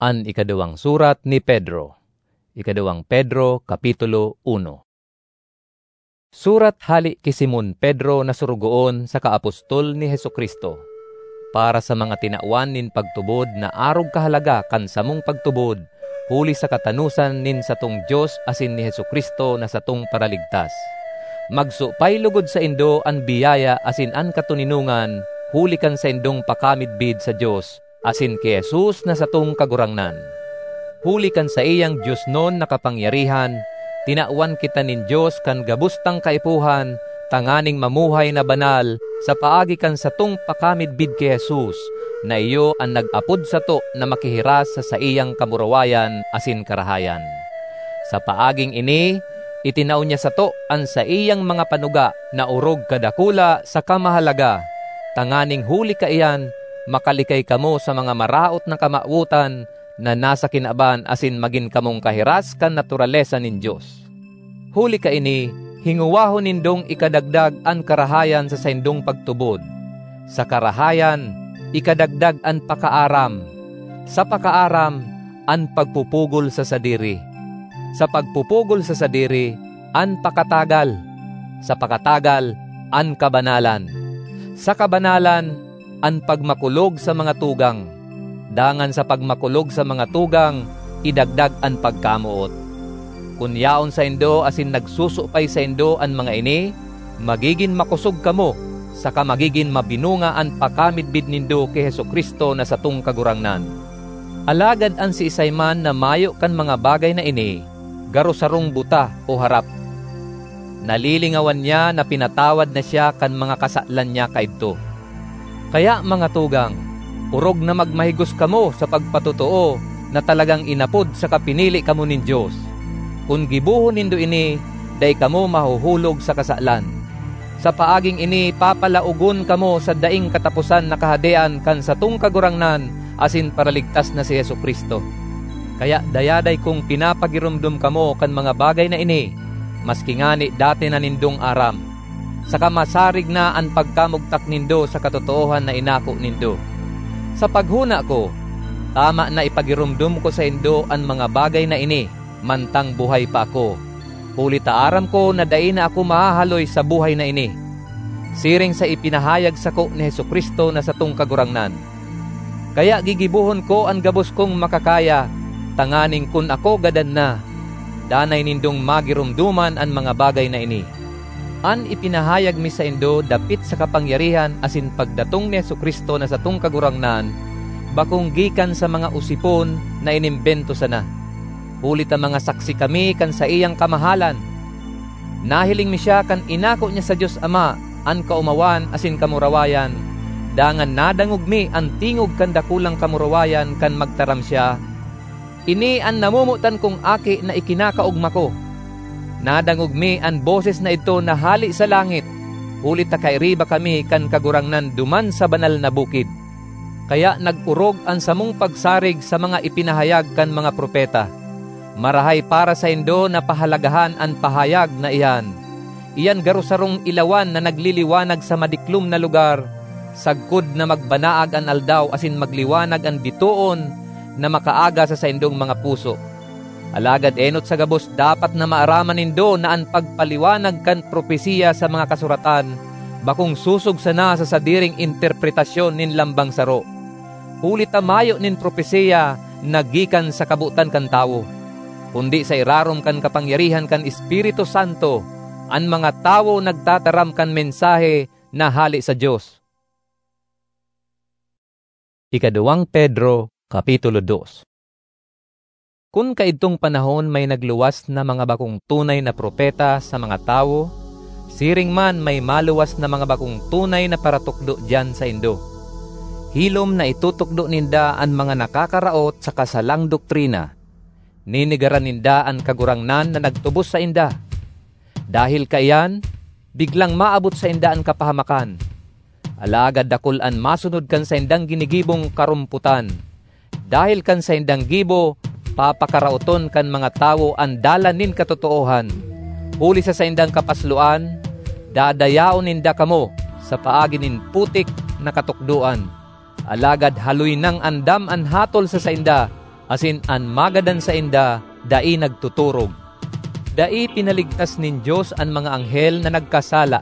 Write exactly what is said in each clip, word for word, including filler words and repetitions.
An ikaduwang surat ni Pedro. Ikaduwang Pedro, Kapitulo uno. Surat hale ki Simon Pedro na sorogoon saka apostol ni Jesu-Cristo, para sa mga tinawan nin pagtubod na arog kahalaga kan samong pagtubod, huli sa katanosan nin satong Dios asin ni Jesu-Cristo na satong Paraligtas. Magsupay logod saindo an biyaya asin an katoninongan huli kan saindong pakamidbid sa Dios asin ki Jesus na satong Kagurangnan. Huli kan saiyang diosnon na kapangyarihan, tinawan kita nin Dios kan gabos tang kaipuhan tanganing mamuhay na banal sa paagi kan satong pakamidbid ki Jesus, na iyo an nag-apod sato na makihiras sa saiyang kamurawayan asin karahayan. Sa paaging ini, itinao niya sato an saiyang mga panuga na orog kadakula saka mahalaga, tanganing huli kaiyan, makalikay kamo sa mga maraot na kamawotan na nasa kinaban asin magin kamong kahiras kan naturalesa nin Dios. Huli kaini, hingowahon nindong ikadagdag an karahayan sa saindong pagtubod. Sa karahayan, ikadagdag an pakaaram. Sa pakaaram, an pagpupugol sa sadiri. Sa pagpupugol sa sadiri, an pakatagal. Sa pakatagal, an kabanalan. Sa kabanalan, an pagmakulog sa mga tugang, dangan sa pagmakulog sa mga tugang, idagdag an pagkamoot. Kun yaon saindo asin nagsusupay saindo an mga ini, magigin makosog kamo, saka magigin mabinunga an pakamidbid nindo ki Jesu-Cristo na satong Kagurangnan. Alagad an siisay man na mayo kan mga bagay na ini, garo sarong buta o harap. Nalilingawan niya na pinatawad na siya kan mga kasalan niya kaidto. Kaya, mga tugang, orog na magmahigos kamo sa pagpatotoo na talagang inapod saka pinili kamo nin Dios. Kun gibohon nindo ini, dai kamo mahuhulog sa kasalan. Sa paaging ini, papalaogon kamo sa daing kataposan na Kahadean kan satong Kagurangnan asin Paraligtas na si Jesu-Cristo. Kaya dayaday kong pinapagiromdom kamo kan mga bagay na ini, maski ngani dati na nindong aram, saka masarig na an pagkamugtak nindo sa katotoohan na inako nindo. Sa paghona ko, tama na ipagiromdom ko saindo an mga bagay na ini mantang buhay pa ako, huli ta aram ko na dai na ako mahahaloy sa buhay na ini, siring sa ipinahayag sako ni Jesu-Cristo na satong Kagurangnan. Kaya gigibohon ko an gabos kong makakaya, tanganing kun ako gadan na, danay nindong magiromdoman an mga bagay na ini. An ipinahayag mi saindo dapit sa kapangyarihan asin pagdatong ni Jesu-Cristo na satong Kagurangnan, bakong gikan sa mga osipon na inimbento sana, huli ta mga saksi kami kan saiyang kamahalan. Nahiling mi siya kan inako niya sa Dios Ama an kaomawan asin kamurawayan, dangan nadangog mi an tingog kan dakulang kamurawayan kan magtaram siya, "Ini an namomotan kong Aki na ikinakaogma ko." Nadangog mi an boses na idto na hale sa langit, huli ta kairiba kami kan Kagurangnan duman sa banal na bukid. Kaya nag-orog an samong pagsarig sa mga ipinahayag kan mga propeta. Marahay para saindo na pahalagahan an pahayag na iyan. Iyan garo sarong ilawan na nagliliwanag sa madiklom na lugar, sagkod na magbanaag an aldaw asin magliwanag an bitoon na makaaga sa saindong mga puso. Alagad enot sa gabos dapat na maaraman nindo na an pagpaliwanag kan propesiya sa mga kasuratan bakong sosog sana sa sadiring interpretasyon nin lambang saro, huli ta mayo nin propesiya na gikan sa kabotan kan tawo, kundi sa irarom kan kapangyarihan kan Espiritu Santo, an mga tawo nagtataram kan mensahe na hale sa Dios. Ikaduwang Pedro, Kapitulo dos. Kun kaidtong panahon may nagluwas na mga bakong tunay na propeta sa mga tawo, siring man may maluwas na mga bakong tunay na paratukdo diyan saindo. Hilom na itutukdo ninda an mga nakakaraot saka salang doktrina. Nenegaran ninda an Kagurangnan na nagtubos sainda. Dahel kaiyan, biglang maabot sainda an kapahamakan. Alagad dakul an masunod kan saindang ginigibong karompotan. Dahel kan saindang gibo, papakaraoton kan mga tawo an dalan nin katotoohan. Huli sa saindang kapasloan, dadayaon ninda kamo sa paagi nin putik na katukdoan. Alagad haloy nang andam an hatol sa sainda, asin an magadan sainda dai nagtuturog. Dai pinaligtas nin Dios an mga anghel na nagkasala,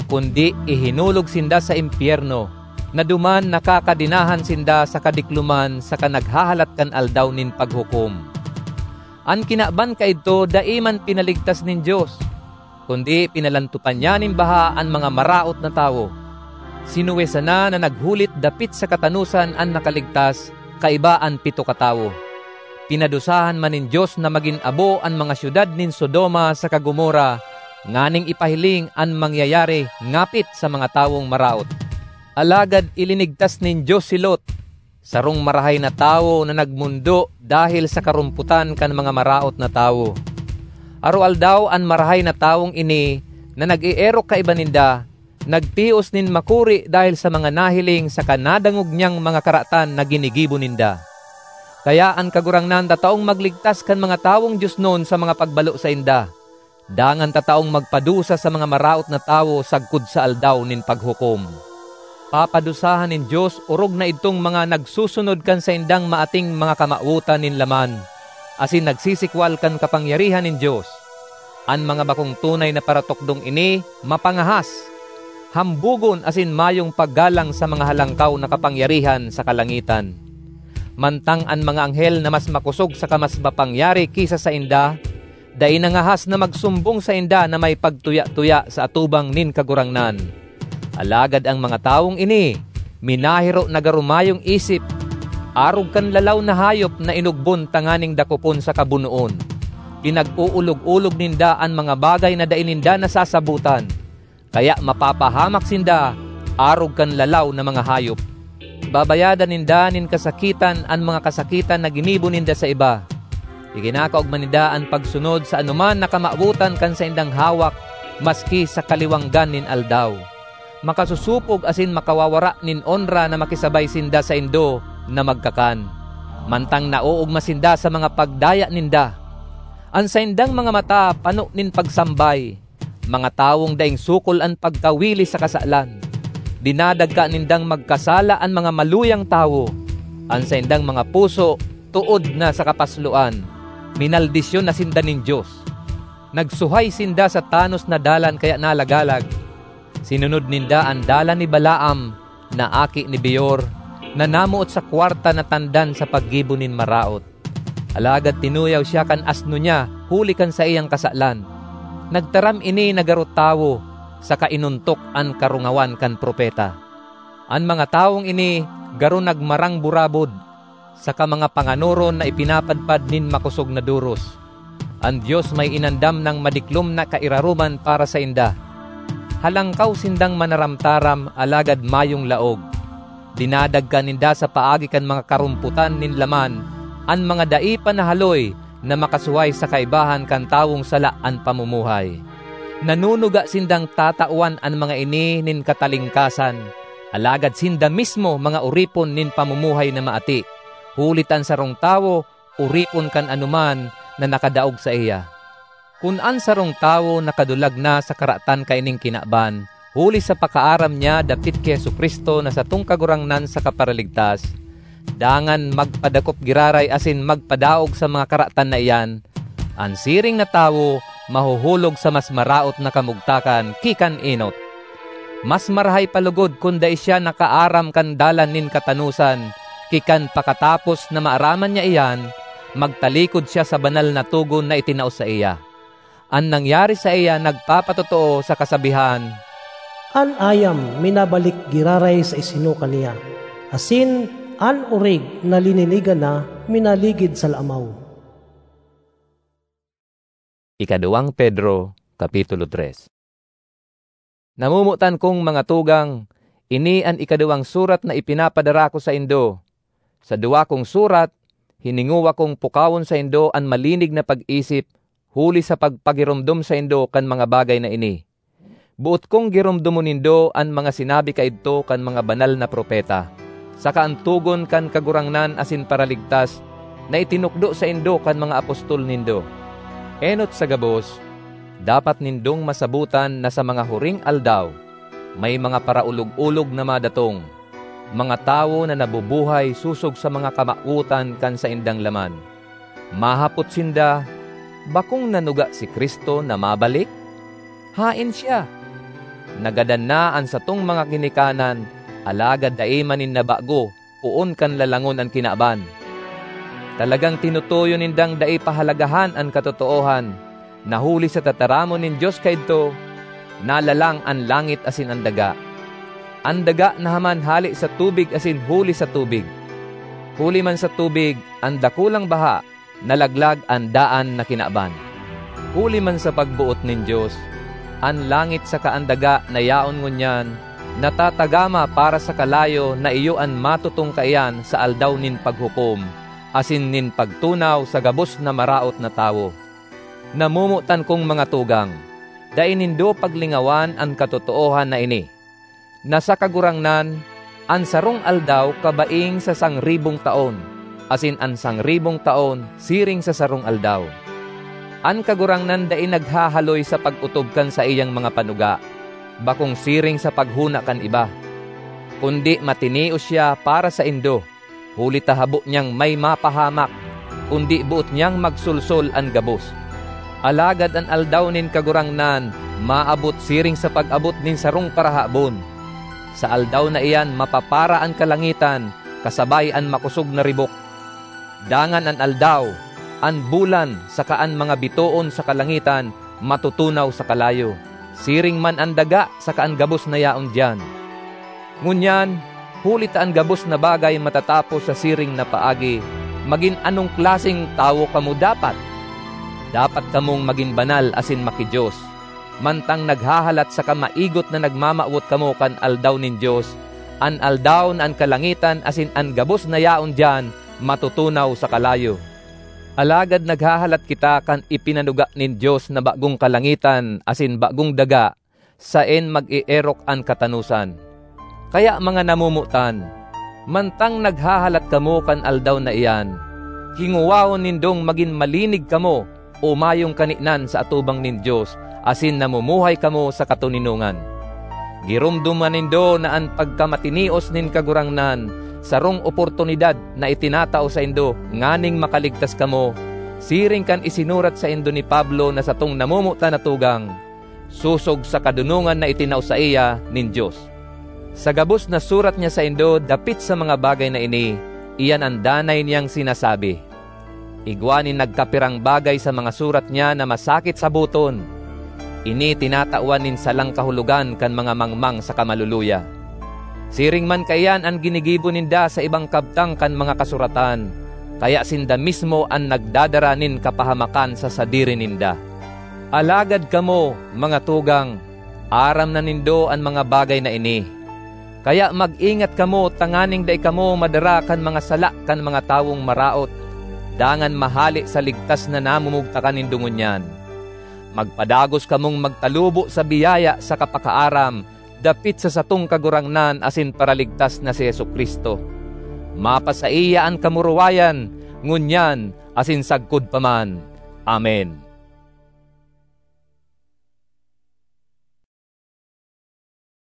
kundi ihinulog sinda sa impyerno, na duman nakakadenahan sinda sa kadikloman saka naghahalat kan Aldaw nin Paghukom. An kinaban kaidto dai man pinaligtas nin Dios, kundi pinalantopan niya nin baha an mga maraot na tawo. Sinuwe sana na naghulit dapit sa katanosan an nakaligtas kaiba an pito katawo. Pinadusahan man nin Dios na magin abo an mga syudad nin Sodoma saka Gomorra nganing ipahiling an mangyayari ngapit sa mga tawong maraot. Alagad ilinigtas nin Dios si Lot, sarong marahay na tawo na nagmondo dahel sa karompotan kan mga maraot na tawo. Aroaldaw an marahay na tawong ini na nag-eerok kaiba ninda, nagtios nin makuri dahel sa mga nahiling saka nadangog niyang mga karatan na ginigibo ninda. Kaya an Kagurangnan tataong magligtas kan mga tawong diosnon sa mga pagbalo sainda, dangan tataong magpadusa sa mga maraot na tawo sagkod sa Aldaw nin Paghukom. Papadusahan nin Dios orog na idtong mga nagsusunod kan saindang maating mga kamawotan nin laman, asin nagsisikwal kan kapangyarihan nin Dios. An mga bakong tunay na paratukdong ini mapangahas, hambogon asin mayong paggalang sa mga halangkaw na kapangyarihan sa kalangitan. Mantang an mga anghel na mas makosog saka mas mapangyari ki sa sainda, dai nangahas na magsumbong sainda na may pagtuya-tuya sa atubang nin Kagurangnan. Alagad an mga tawong ini minahiro na garo mayong isip, arog kan lalaw na hayop na inugbon tanganing dakopon saka bunoon. Pinag-uulog-ulog ninda an mga bagay na dai ninda nasasabotan, kaya mapapahamak sinda arog kan lalaw na mga hayop. Babayadan ninda nin kasakitan an mga kasakitan na ginibo ninda sa iba. Ikinakaogma ninda an pagsunod sa anoman na kamawotan kan saindang hawak, maski sa kaliwanggan nin aldaw. Makasosopog asin makawawara nin onra na makisabay sinda saindo na magkakan, mantang naoogma sinda sa mga pagdaya ninda. An saindang mga mata pano nin pagsambay, mga tawong daing sukol an pagkawili sa kasalan. Dinadagka nindang magkasala an mga maluyang tawo. An saindang mga puso tood na sa kapasloan. Minaldisyon na sinda nin Dios. Nagsuhay sinda sa tanos na dalan kaya nalagalag. Sinunod ninda an dalan ni Balaam na aki ni Beor, na namoot sa kwarta na tandan sa paggibo nin maraot. Alagad tinuyaw siya kan asno niya huli kan saiyang kasalan. Nagtaram ini na garo tawo, saka inontok an karungawan kan propeta. An mga tawong ini garo nagmarang burabod, saka mga panganoron na ipinapadpad nin makosog na doros. An Dios may inandam nang madiklom na kairaroman para sainda. Halangkaw sindang manaramtaram, alagad mayong laog. Dinadagka ninda sa paagi kan mga karompotan nin laman an mga dai pa nahaloy na makasuhay sa kaibahan kan tawong sala an pamumuhay. Nanunuga sindang tatawan an mga ini nin katalingkasan, alagad sinda mismo mga oripon nin pamumuhay na maati, huli ta an sarong tawo oripon kan anoman na nakadaog saiya. Kun an sarong tawo nakadulag na sa karatan kaining kinaban, huli sa pakaaram niya dapit ki Jesu-Cristo na satong Kagurangnan saka Paraligtas, dangan magpadakop giraray asin magpadaog sa mga karatan na iyan, an siring na tawo mahuhulog sa mas maraot na kamugtakan ki kan enot. Mas marahay pa logod kun dai siya nakaaram kan dalan nin katanosan, ki kan pakatapos na maaraman niya iyan, magtalikod siya sa banal na togon na itinao saiya. An nangyari saiya nagpapatotoo sa kasabihan, "An ayam minabalik giraray sa isinuka niya, asin an orig na lininigan na minaligid sa laamaw." Ikaduwang Pedro, Kapitulo tres. Namomotan kong mga tugang, ini an ikaduwang surat na ipinapadara ko saindo. Sa duwa kong surat, hiningowa kong pukawon saindo an malinig na pag-isip huli sa pagpagiromdom saindo kan mga bagay na ini. Boot kong giromdomon nindo an mga sinabi kaidto kan mga banal na propeta, saka an togon kan Kagurangnan asin Paraligtas na itinukdo saindo kan mga apostol nindo. Enot sa gabos, dapat nindong masabotan na sa mga huring aldaw, may mga paraolog-olog na madatong. mga tawo na nabubuhay sosog sa mga kamawotan kan saindang laman. Mahapot sinda, "Bakong nanuga si Cristo na mabalik? Haen siya? Nagadan na an satong mga ginikanan, alagad dai man nin nabago poon kan lalangon an kinaban." Talagang tinutuyo nindang dai pahalagahan an katotoohan, na huli sa tataramon nin Dios kaidto, nalalang an langit asin an daga. An daga nahaman hale sa tubig asin huli sa tubig. Huli man sa tubig, an dakulang baha, nalaglag an daan na kinaban. Huli man sa pagboot nin Dios, an langit saka an daga na yaon ngunyan natatagama para sa kalayo na iyo an matutong kaiyan sa aldaw nin paghukom asin nin pagtunaw sa gabos na maraot na tawo. Namomotan kong mga tugang, dai nindo paglingawan an katotoohan na ini, na sa Kagurangnan, an sarong aldaw kabaing sa sangribong taon, asin an sangribong taon siring sa sarong aldaw. An Kagurangnan dai naghahaloy sa pag-otob kan saiyang mga panuga, bakong siring sa paghona kan iba, kundi matinios siya para saindo, huli ta habo niyang may mapahamak, kundi boot niyang magsolsol an gabos. Alagad an aldaw nin Kagurangnan maabot siring sa pag-abot nin sarong parahabon. Sa aldaw na iyan mapapara an kalangitan kasabay an makosog na ribok. Dangan an aldaw, an bulan, saka an mga bitoon sa kalangitan matutunaw sa kalayo, siring man an daga saka an gabos na yaon diyan. Ngunyan, huli ta an gabos na bagay matatapos sa siring na paagi, magin anong klaseng tawo kamo dapat? Dapat kamong magin banal asin maki-Dios, mantang naghahalat saka maigot na nagmamawot kamo kan aldaw nin Dios, an aldaw na an kalangitan asin an gabos na yaon diyan matutunaw sa kalayo. Alagad naghahalat kita kan ipinanuga nin Dios na bagong kalangitan asin bagong daga, saen mag-eerok an katanosan. Kaya, mga namomotan, mantang naghahalat kamo kan aldaw na iyan, hingowahon nindong magin malinig kamo o mayong kaninan sa atubang nin Dios asin namumuhay kamo sa katoninongan. Giromdoman nindo na an pagkamatinios nin Kagurangnan sarong oportunidad na itinatao saindo nganing makaligtas kamo, siring kan isinurat saindo ni Pablo na satong namomotan na tugang, sosog sa kadonongan na itinao saiya nin Dios. Sa gabos na surat niya saindo dapit sa mga bagay na ini, iyan an danay niyang sinasabi. Igwa nin nagkapirang bagay sa mga surat niya na masakit saboton. Ini tinatawan nin salang kahulogan kan mga mangmang saka maluluya. Siring man kaiyan an ginigibo ninda sa ibang kabtang kan mga kasuratan, kaya sinda mismo an nagdadara nin kapahamakan sa sadiri ninda. Alagad kamo, mga tugang, aram na nindo an mga bagay na ini. Kaya mag-ingat kamo tanganing dai kamo madara kan mga sala kan mga tawong maraot, dangan mahale sa ligtas na namumugtakan nindo ngunyan. Magpadagos kamong magtalubo sa biyaya saka pakaaram dapit sa satong Kagurangnan asin Paraligtas na si Jesu-Cristo. Mapasaiya an kamurawayan, ngunyan asin sagkod pa man. Amen.